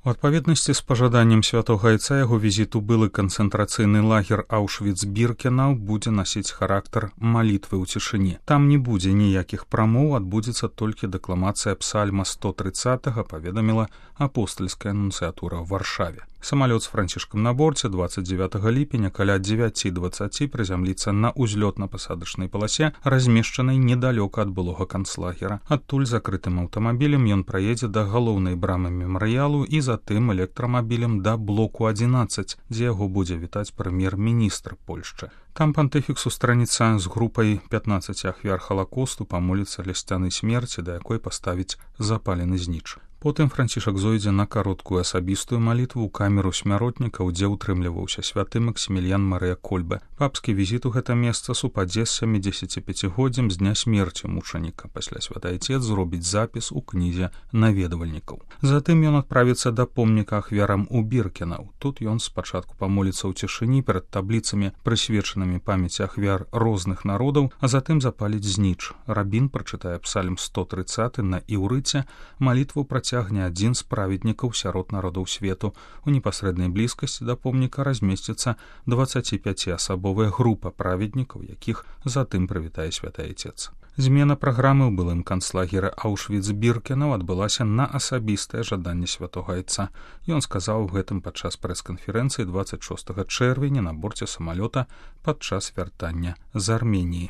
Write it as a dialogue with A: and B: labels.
A: У адпаведнасці з пажаданнем святога айца яго візіт у былы канцэнтрацыйны лагер Аўшвіц-Біркенау будзе насіць характар малітвы ў цішыні. Там не будзе ніякіх прамоў, адбудзецца толькі дэкламацыя псальма 130, паведаміла апостальская нунцыятура ў Варшаве. Самалёт з Францішкам на борце 29 ліпеня каля 9:20 прызямліцца на узлётна-пасадачнай паласе, размешчанай недалёка ад былога канцлагера. Адтуль закрытым аўтамабілем ён праедзе да галоўнай брамы мемарыялу і затым электрамабілем да блоку 11, дзе яго будзе вітаць прэм'ер-міністр Польшчы. Там пантыфік сустранецца з групай 15 ахвяр Халакосту, памоліцца ля сцяны смерці, да якой паставіць запалены зніч. Потым Францішак зойдзе на кароткую асабістую малітву ў камеру смяротнікаў, дзе ўтрымліваўся святы Максіміліян Марыя Кольбе. Папскі візіт у гэта месца супадзе з 75годдзям з дня смерці мучаніка. Пасля святы айцец зробіць запіс у кнізе наведвальнікаў. Затым ён адправіцца да помніка ахвярам у Біркенау. Тут ён спачатку памоліцца ў цішыні перад табліцамі, прысвечанымі памяці ахвяр розных народаў, а затым запаліць зніч. Рабін прачытае псальм 130 на іўрыце, малітву працягне адзін з праведнікаў сярод народаў свету. У непасрэднай блізкасці да помніка размесціцца 25-асабовая група праведнікаў, якіх затым прывітае святы айцец. Змена праграмы ў былым канцлагеры Аўшвіц-Біркенау адбылася на асабістае жаданне святога айца. Ён сказаў гэтым падчас прэс-канферэнцыі 26 чэрвеня на борце самалёта падчас вяртання з Арменіі.